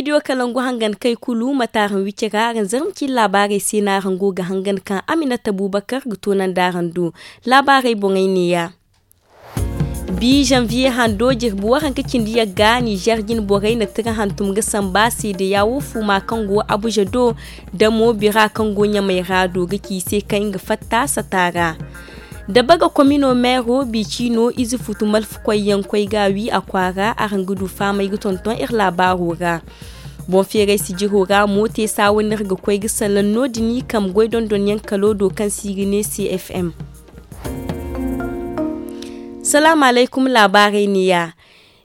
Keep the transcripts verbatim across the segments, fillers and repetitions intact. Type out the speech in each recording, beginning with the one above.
Studio kalangu hangan kay kulu mate araŋ wici ra araŋ zarma ci laabaarey se no araŋ go ga hangan kaŋ aminata bubakar ga toonandi araŋ do. Laabaarey boŋey neeya. Bi zanviye hando jirbi waranka cindi yagga nizer jine borey na tira hantum ga samba seedeya wo fuuma kaŋ go abuza do, da mo bira kaŋ go ɲamay ra do ga ci i se kaŋ nga fatta sata ra. Da baga komino meero bi ciino ize futu malfakoy yaŋ koy ga wi a kwaara araŋ ga du faamay ga tonton iri laabaaro ra. Boŋ feeray sijiro ra mo te saawa no iri ga koy ga salaŋ no- din i kambe goy dondonyaŋ kalo do kaŋ se i ga ne cfm. Salaamu alaykum laabaarey neeya.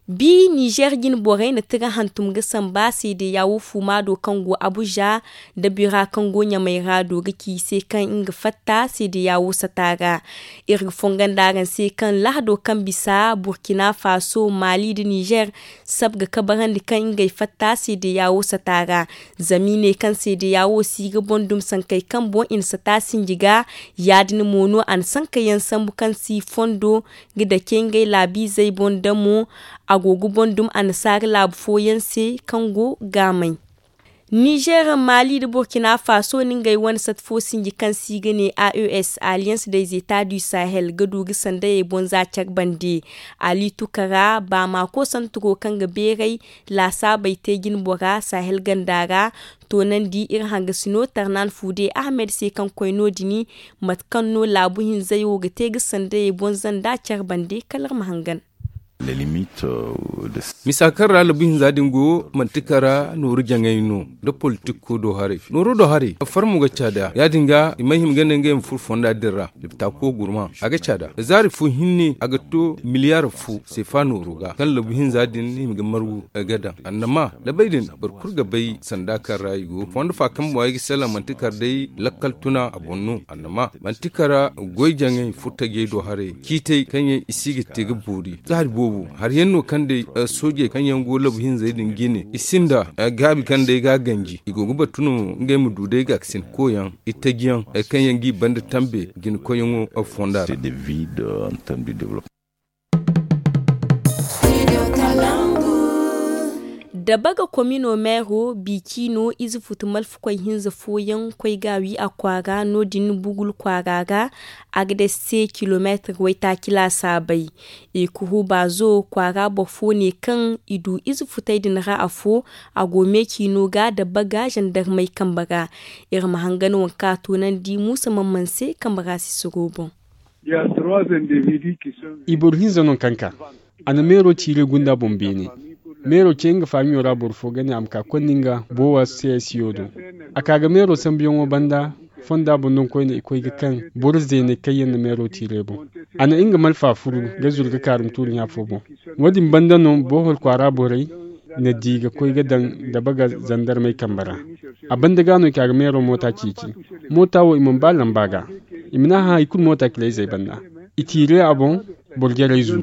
Bi nizer jine borey na tira hantum ga samba seedeya wo fuuma do kaŋ go abuza, da bira kaŋ go ɲamay ra do ga ci i se kaŋ nga fatta seedeya wo sata ra. Iri ga fongondi araŋ se kaŋ lahado kaŋ bisa burkina faso mali nda nizer sab ga kabarandi kaŋ ngey fatta seedeya wo sata ra. Zama i ne kaŋ seedeya wo si ga boŋ dum sankey kaŋ boŋ i na sata sinji ga. Ya- din mo no a na sankayaŋ sambu kaŋ si fondo ga dake ngey laabiizey boŋ da mo a go ga boŋ dum annasaara laabu fooyaŋ se kaŋ go gaamay. Nizer mali nda burkina faso na ngey wane sat fo sinji kaŋ se i ga ne a e s alliance des etats du sahel ga du ga sandayey boŋ za care bande. Ali tukara baamako santuro kaŋ ga beeray laasaabey te jine bora sahel ganda ra. Toonandi iri hangasino tarnan fuude ahmed se kaŋ koy no- din mate kaŋ no laabu hinzey wo ga te ga sandayey boŋ zanda care bande kala iri ma hangan. Misa kaŋ ra labu hinza din go manti kara nooru jaŋay no da politik ko do haray nooro do haray farmo ga caada ya- din ga i ma hima ga ne ngey ma furo fonda din ra. Dipta ko gurma a ga caada zaari fo hinne a ga to miliyar fo seefa nooro ga kaŋ labu hinza din hima ga margu ga daŋ annama labey din boro kulu ga bay sanda kaŋ ra i go fondo fa kaŋ mo ay ga salaŋ manti kara day lakkal tuna a boŋ no annama manti kara goy jaŋay furtajey do haray ciitey kaŋ yaŋ i si ga te ga boori zaari boobo hari yaŋ no kaŋ day soojey kaŋ yaŋ go labu hinzey din jine i sinda gaabi kaŋ day ga a ganji i go ga batu no ngey ma du day ga ga sinda koyaŋ itaji yaŋ kaŋ yaŋ g'i banda tambe jina koyyaŋo fonda ra. Da baga komino meero bi ciino ize futu malfakoy hinza fooyaŋ koy ga a wi a kwaara no- din bugul kwaara ra. A ga day se kilomeetir waytaaci laasaabey. I kuhu baazo kwaara boro fo ne kaŋ i du ize futey din ra afo. A go me ciino ga da baga zandarmey kambe ra. Iri ma hangan waŋ kaŋ a toonandi muusa man man se kambe ra sisiro boŋ. I boro hinza no kaŋ ka a na meero tiire gunda boŋ beene. Meero ce nga faamiyo ra boro fo ga ne a ma ka konda nga boowa seyasiyo do. A ka ga meero sambuyaŋo banda fonda boŋ no koyne i koy ga kaŋ boro zeeney kaŋ yaŋ na meero tiire boŋ. A na nga malfa furu ga zuru ga kaarum tuuri ɲa fo boŋ. Wo- din banda no boohol kwaara borey na di ga koy ga daŋ dabaga zandarmey kambe ra. A banda ga no i ka ga meero moota ceeci. Moota wo i mana ba lamba ga. I mana hã hari kulu moota kila-izey banda. I tiire a boŋ boro jarey zuru.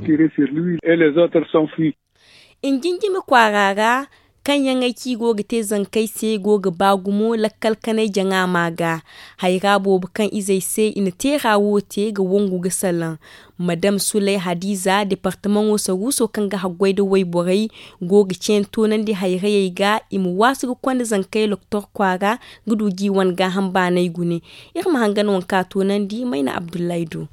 Injinjimi kwaara ra kaŋ yaŋey kaŋ i go ga te zankey se go ga ba gumo lakkal kanay jaŋa ma ga. Hayra boobo kaŋ izey se i na teera wo te ga wangu ga salaŋ. Madam sulay hadiza departamaŋo saruuso kaŋ ga haggoy nda wayborey go ga ceeni toonandi hayrayey ga i ma waasu ga konda zankey loktor kwaara ga du ga i wane gaaham baanay gune. Iri ma hangan waŋ kaŋ a toonandi mayna abdullahi do.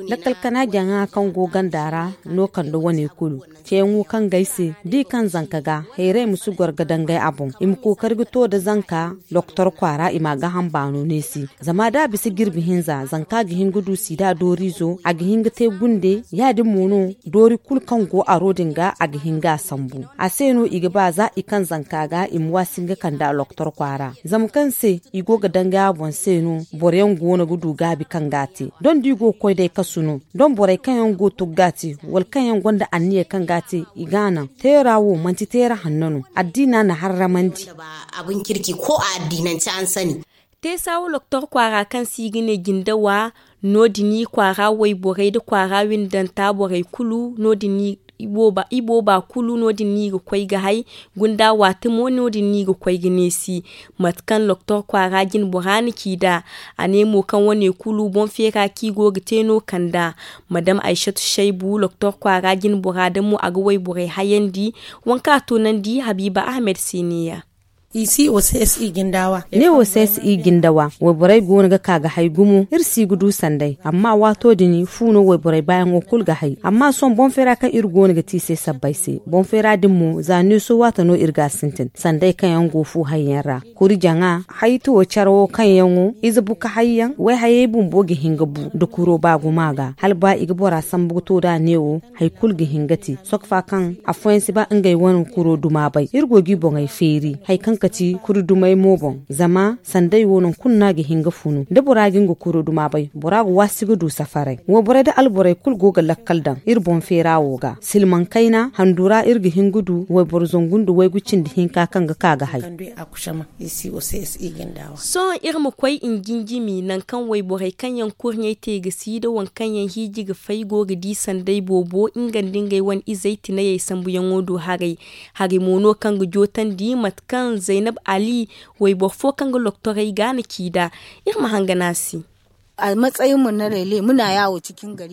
Lakkal kana jaŋa kaŋ go ganda ra no kande wane kulu ceeyaŋo kaŋ ga ay se da i kaŋ zanka ga hayray ma si goro ga dangay a boŋ i ma kookari ga to nda zanka. Doktor kwaara i ma a gaaham baano neesi. Zama da a bisa jirbi hinza zanka ga hin ga du siida dooriizo a ga hin ga te gunde ya- din mo no doori kulu kaŋ go aro din ga a ga hin ga a sambu. A se no i ga ba za i kaŋ zanka ga i ma waasi nga kande a doktor kwaara zama kaŋ se i go ga dangay a boŋ se no boro yaŋ go no ga du gaabi kaŋ ga a te. Doŋ da i go ga koy day kasu no doŋ borey kaŋ yaŋ go ga tugga te wala kaŋ yaŋ gonda anniya kaŋ ga a te i ga a naŋ. Teera wo manti teera hanno no. Addiina na harramandi. Abin kirki ko a addiinance an sani. Teesa wo loktor kwaara kaŋ se i ga ne jindawa no- din i kwaara wayborey nda kwaara windanta borey kulu no- din i Ibooba kulu no- din no i ga koy ga hay. Gunda waati mo no- din no i ga koy ga neesi. Mate kaŋ doktor kwaara jinbora na ci nd'a, a ne mo kaŋ wane kulu boŋ feera kaŋ i go ga te no kand'a. Madam aysatu saybu doktor kwaara jinbora da mo a ga wayborey hayandi. Waŋ kaŋ a toonandi habiiba ahmed se neeya. Ne wo se si i jindawa. Wayborey go no ga ka ga hay gumo iri si ga du sanday amma waato din fu no wayborey baayaŋo kulu ga hay amma sohõ boŋ feera kaŋ iri go no ga te i se sabbay se boŋ feera din mo za neeso waata no iri ga a sintin sanday kaŋ yaŋ go fu hayyaŋ ra. Kuri jaŋa haytawo care wo kaŋ yaŋo ize buka hayyaŋ wayhayey bumbo ga hin ga bu nda kuro ba gumo a ga hala ba i ga bora sambu ga to nd'a neewo. Hari kulu ga hin ga te sokfa kaŋ afooyaŋ si ba ngey wane kuro duma bay iri go ga i boŋey feeri hari kaŋ kati kuri dumey mo boŋ. Zama sanday wo nangu kulu no a ga hin ga funu da bora ga nga kuro duma bay bora ga waasi ga du safaray wayborey da alborey kulu go ga lakkal daŋ iri boŋ feera wo ga silmaŋ kayna handu ra iri ga hin ga du wayboro zangu nda waygu cindi hinka kaŋ ga ka ga hay. Sohõ iri ma koy njinjimi nangu kaŋ wayborey kaŋ yaŋ kurɲey te ga si da waŋ kaŋ yaŋ hiiji ga fay go ga di sanday boobo nga nda ngey wane izey tinayey sambuyaŋo do haray. Hari mo no kaŋ ga jootandi mate kaŋ zaynab ali wayboro fo kaŋ ga loktorey ga na ci nd'a. Iri ma hangan a se.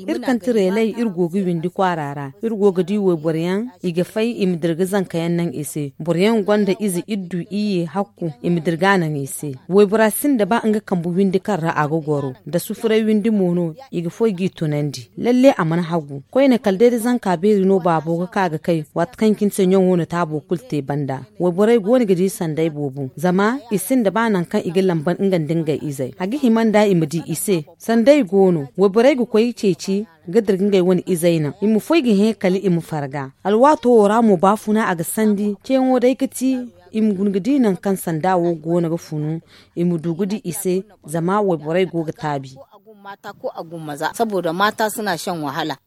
Iri kaŋ ti reeley iri go ga windi kwaara ra iri go ga di wayboro yaŋ i ga fay i ma dira ga zanka yaŋ naŋ i se boro yaŋ gonda ize iddu iyye hakku i ma dira ga a naŋ i se. Waybora sinda ba nga kambe windi kaŋ ra a ga goro nda sufuray windi mo no i ga foy g'i tunandi lalle a mana hagu koyne kala day da zanka beeri no baabo ga ka ga kay waati kaŋ cine se ɲaŋo na taabo kulu te banda. Wayborey go no ga di sanday boobo zama i sinda ba nangu kaŋ i ga lamban nga nda ngey izey a ga hima nd'a i ma di i se. Sanday go no wayborey ga koy ceeci ga dira ga ngey wane izey naŋ i ma foy ga hẽ kala i ma farga. Alwaato wo ra mo baafuna a ga sandi ceeyaŋo day ga ti i ma guna ga di nangu kaŋ sanda wo go no ga funu i ma du ga di i se. Zama wayborey go ga taabi. Saboda maata suna shan wahala.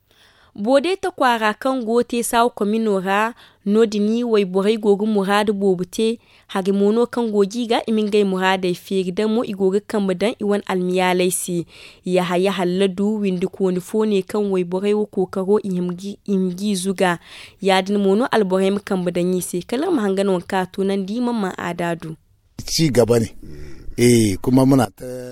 Boodeta kwaara kaŋ go teesaawa komino ra no- din wayborey go ga muraadu boobo te. Hari mo no kaŋ go ga i ga i ma ngey muraadey feeri da mo i go ga kambe daŋ i wane almiyaaley se. Yahaya halladu windikooni fo ne kaŋ wayborey wo kookaro i hima g'i zuga. Ya- din mo no alborey ma kambe daŋ i se kala iri ma hangan waŋ kaŋ a toonandi i mana ma aada du.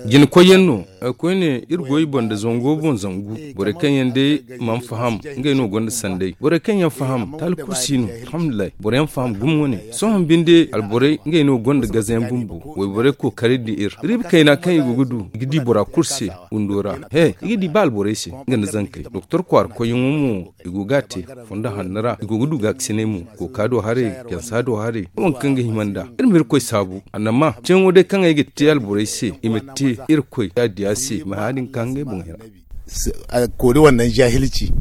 Jina koyyaŋ no. Koyne iri go i boŋ nda zango boŋ zangu. Borey kaŋ yaŋ day mana faham ngey no gonda sanday borey kaŋ yaŋ faham taali kulu si no. Alhamdulillahi boro yaŋ faham gumo wane. Sohõ binde alborey ngey no gonda gazayaŋ bumbo. Wayborey kookari nda iri riiba kayna kaŋ i go ga du i ga di bora kulu se. Windo ra he i ga di ba alborey se nga nda zankey doktor kwaara koyyaŋo mo. I go ga a te fondo hanno ra i go ga du gaakasinay mo. Kooka do haray jansa do haray waŋ kaŋ ga hima nd'a. Iri ma irkoy saabu annama ceeyaŋo day kaŋ ay ga te alborey se i ma te irkoy ya diya se i ma hã din ka ngey boŋey ra. Koori wannan jahilci.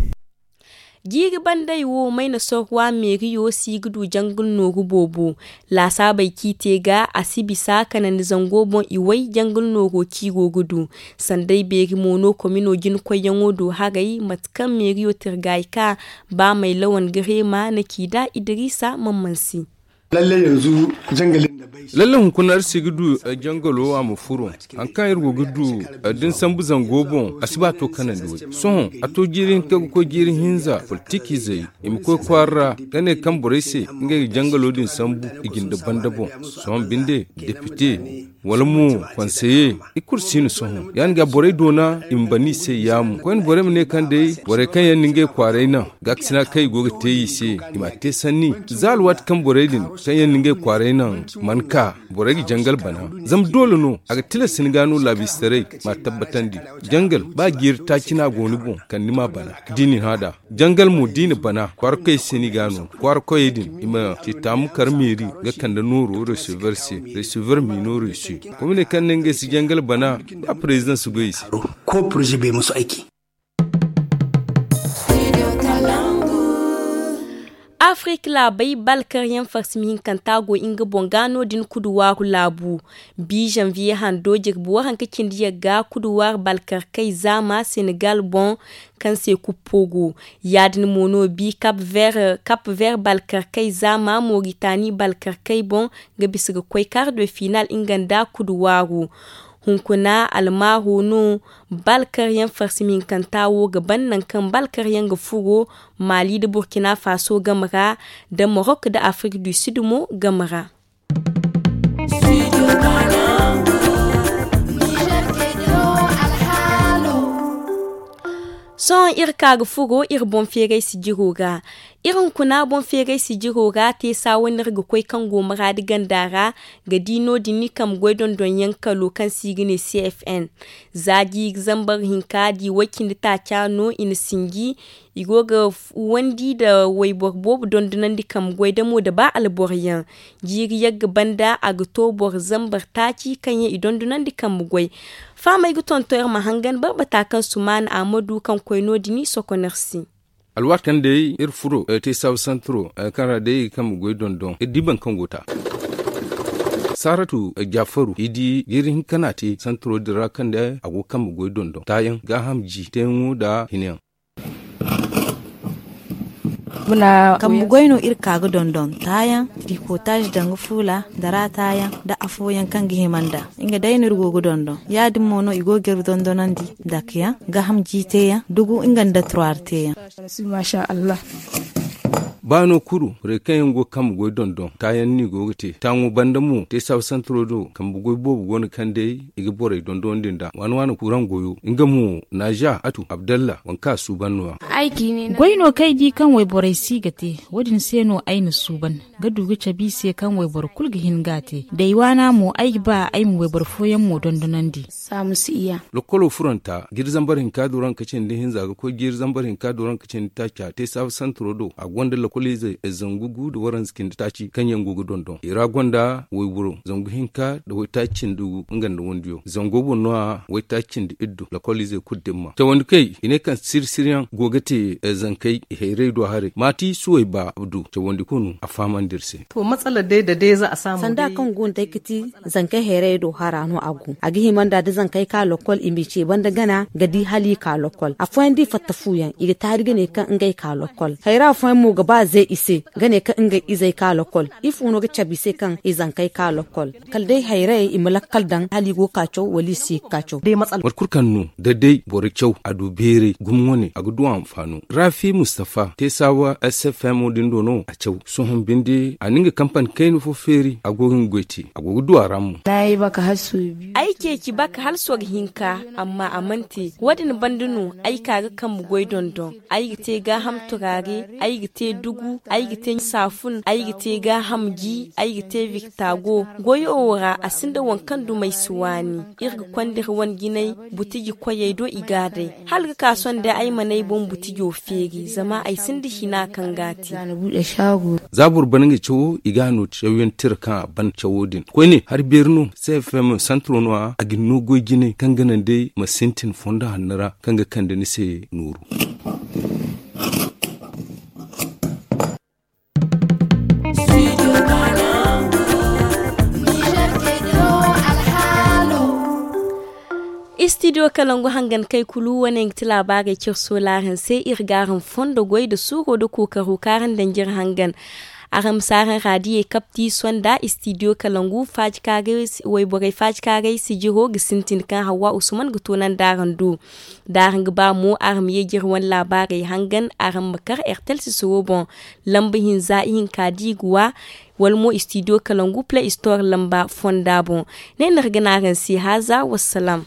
Jiiri bandey wo mayna sorwa meeriyo si ga du jangal nooru boobo. Laasaabey kaŋ i te ga a si bisa kanandi zango boŋ i way jangal nooro kaŋ i go ga du. Sanday beeri mo no komino jina koyyaŋo do haray mate kaŋ meeriyo tirgaayi ka ba may lawan ga reema na ci nd'a idiriisa man man se. Lalle hunkuna iri si ga du jangalo a ma furo. Hari kaŋ iri go ga du din sambu zango boŋ a si ba to kanandi way. Sohõ a to jiiri hinka ga koy jiiri hinza politiki zay i ma koy kwaara ra ga ne kaŋ borey se ngey ga jangalo din sambu i jinde banda boŋ. Sohõ binde depite wala mo konseye i kulu si no sohõ ya- din ga borey doona i ma bana i se yaamu koyne borey ma ne kaŋ day borey kaŋ yaŋ na ngey kwaaray naŋ gaakasina kaŋ i go ga te i se i m'a te sanni. Za alwaati kaŋ borey din kaŋ yaŋ na ngey kwaaray naŋ mana ka borey ga jangal bana. Zama doole no a ga tilas ni ga no laabistaray m'a tabbatandi. Jangal ba jiiri taaci no a go ni boŋ kala ni m'a bana da i na ni hã nd'a. Jangal mo da i na bana kwaara koyey se no i ga a no kwaara koyey din i ma te taamu kar meeri ga kande nooro resever se. Resever mino resu. Komine kaŋ ne ngey si jangal bana ba president si goy i se. Afrik laabey balkaryaŋ farsimi hinkanta go nga boŋ ga no- din kuduwaaru laabu. Bi zanviye hando jirbi waranka cindi yagga kuduwaar balkarkey zaama senegal boŋ kaŋ se kuppo go. Ya- din mo no bi kap ver balkarkey zaama moritani balkarkey boŋ ga bisa ga koy kar de final nga nda kuduwaaru. Hunkuna almaaho no balkaryaŋ farsi mihinkanta wo ga ban nangu kaŋ balkaryaŋ ga furo maali nda burkina faso game ra, nda morok nda afrik du sud mo game ra. Sohõ iri ka ga furo iri boŋ feeray sijiro ra. Iri hunkuna boŋ feeray sijiro ra te saawa no iri ga koy kaŋ go maraadi ganda ra ga di no- din ni kambe goy dondonyaŋ kalo kaŋ se i ga ne cfn. Za jiiri zambar hinka di way- cindi taaca no i na sinji. I go ga fuwandi nda wayboro boobo dondonandi kambe goy damo nda ba alboroyaŋ. Jiiri yagga banda a ga to boro zambar taaci kaŋ yaŋ i dondonandi kambe goy. Fahamey ga tonton iri ma hangan barbata kaŋ sumaana ahmadu kaŋ koy no- din i sokon iri se. Alwaati kaŋ day iri furo te saabu santiro kaŋ ra day i ga kambe goy dondon iri di boro kaŋ go ta. Saaratu jaafaru i di jiiri hinka no a te santiro din ra kaŋ day a go ga kambe goy dondon taayaŋ gaaham ji teeyaŋo nda hinayaŋ. Kambe goy no iri ka ga dondon taayaŋ, trikotaaz danga fuula, dara taayaŋ nda afooyaŋ kaŋ ga hima nd'a. Nga day no iri go ga dondon ya- din mo no i go ga iri dondonandi, dake yaŋ gaaham ji teeyaŋ dugu nga nda turaari teeyaŋ. Ba no kulu borey kaŋ yaŋ go ga kambe goy dondon taayaŋ no i go ga te taaŋo banda mo te saabu santiro do kambe goy boobo go no kaŋ day i ga borey dondonandi nd'a waana waana kuraŋ goyo nga mo naaza atu abdalla waŋ kaŋ a suuban no- ya. Goy no kaŋ ay di kaŋ wayborey si ga te, wo- din se no ay na suuban ga du ga cabe i se kaŋ wayboro kulu ga hin ga a te da ay waana mo ay ga ba ay ma wayboro fooyaŋ mo dondonandi. Lokolo furanta jiiri zambar hinka dooranka cindi hinza ga koy jiiri zambar hinka dooranka cindi taaca te saabu santiro do a gonda lokoliize zangu gu nda waranza cindi taaci kaŋ yaŋ go ga dondon i ra gonda wayboro zangu hinka nda waytaaci cindi gu nga nda wandiyo zango boŋ no- ya waytaaci cindi iddu lokoliize kulu dimma cawandi kay i ne kaŋ siri siriyaŋ go ga te zankey i hayray do haray maati suway ba abdu cawandi kulu a fahamandi iri se. Sanda kaŋ go nda ay ga ti zankey hayray do hara no a go a ga hima nda da zankey ka lokol i ma i ce banda gana ga di hala i ka lokol afooyaŋ da i fatta fuuyaŋ i ga taari ga ne kaŋ ngey ka lokol hayra afooyaŋ mo ga ba ze i se ga ne kaŋ ngey izey ka lokol ifo no ga cabe i se kaŋ i zankey ka lokol kala day hayray i ma lakkal daŋ hala i go ga ka caw wala i si ga ka caw. Mate kulu kaŋ no da day boro caw a du beeray gumo wane a ga du a ma faano raafi mustafa te saawa sfm din do no a caw sohõ binde a na nga kampani kayna fo feeri a go ga nga goy te a go ga du a ra mo. Ay ceeci baka hala sorro hinka amma a mana te wo- din banda no ay ka ga kambe goy dondon ay ga te gaaham turaare ay ga te dugu ay ga te saafun ay ga te gaaham ji ay ga te viktago goyo wo ra a sinda waŋ kaŋ duma ay si waani iri ga konda iri wane jinay butiji koyey do i ga a day hala ga ka sohõ day ay mana ay boŋ butijo feeri zama ay sinda hina kaŋ ga a te. Za boro ban nga cawo i ga a no cawyaŋ tira kaŋ a ban cawo din koyne hari beeri no cfm santiro no- ya a ga ni no goy jinay kaŋ ga naŋ day ma sintin fondo hanno ra kaŋ ga kande ni se nooru. Istidiyo kalangu hangan kay kulu wane nga ti laabaarey cire soolaaraŋ se iri ga araŋ fondo goy nda suuro nda kookaro kaŋ araŋ daŋ jire hangan. Araŋ ma si araŋ raadiyey kapti sonda istidiyo kalangu wayborey faajikaaray sijiro ga sintin kaŋ hawa usman ga toonandi araŋ do. Da araŋ ga ba mo araŋ ma ye jire wane laabaarey hangan araŋ ma kar ertel sisiro boŋ lamba hinza ihinka da i ga wa wala mo istidiyo kalangu play store lamba fonda boŋ. Ne no iri ga ne araŋ se haaza wassalam.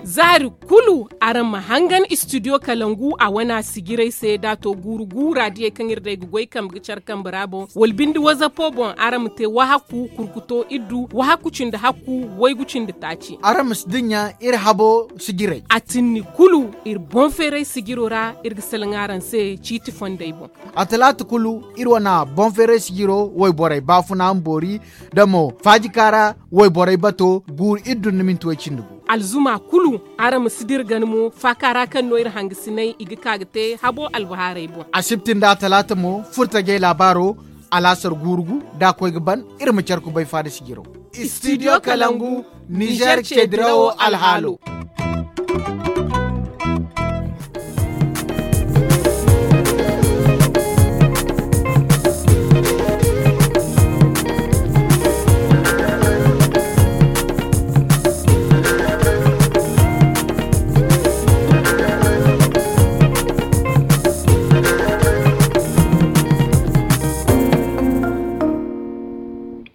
Zaari kulu araŋ ma hangan istidiyo kalangu a wana sijirey se da a to guuru guura diyey kaŋ iri day ga goy kambe ga care kambe ra boŋ wala binde wazapo boŋ araŋ ma te wahakku kurkuto iddu wahakku cindi hakku waygu cindi taaci. Araŋ ma si dinya iri habo sijirey a tinni kulu iri boŋ feeray sijiro ra iri ga salaŋ araŋ se ciiti fondey boŋ. A talaata kulu iri wane boŋ feeray sijiro wayborey baafuna ma boori da mo faajikaara wayborey bato guuru iri dunna minti way cindi gu. Alzuma kulu araŋ ma si dira gana mo faaka ra kaŋ no iri hangasinay i ga ka ga te habo albahaarey boŋ. Asibti nda talaata mo furtajey laabaaro alaasar guuru gu da a koy ga ban iri ma care kubay faada sijiro. Istidiyo kalangu nizer ceedirawo alhaalo.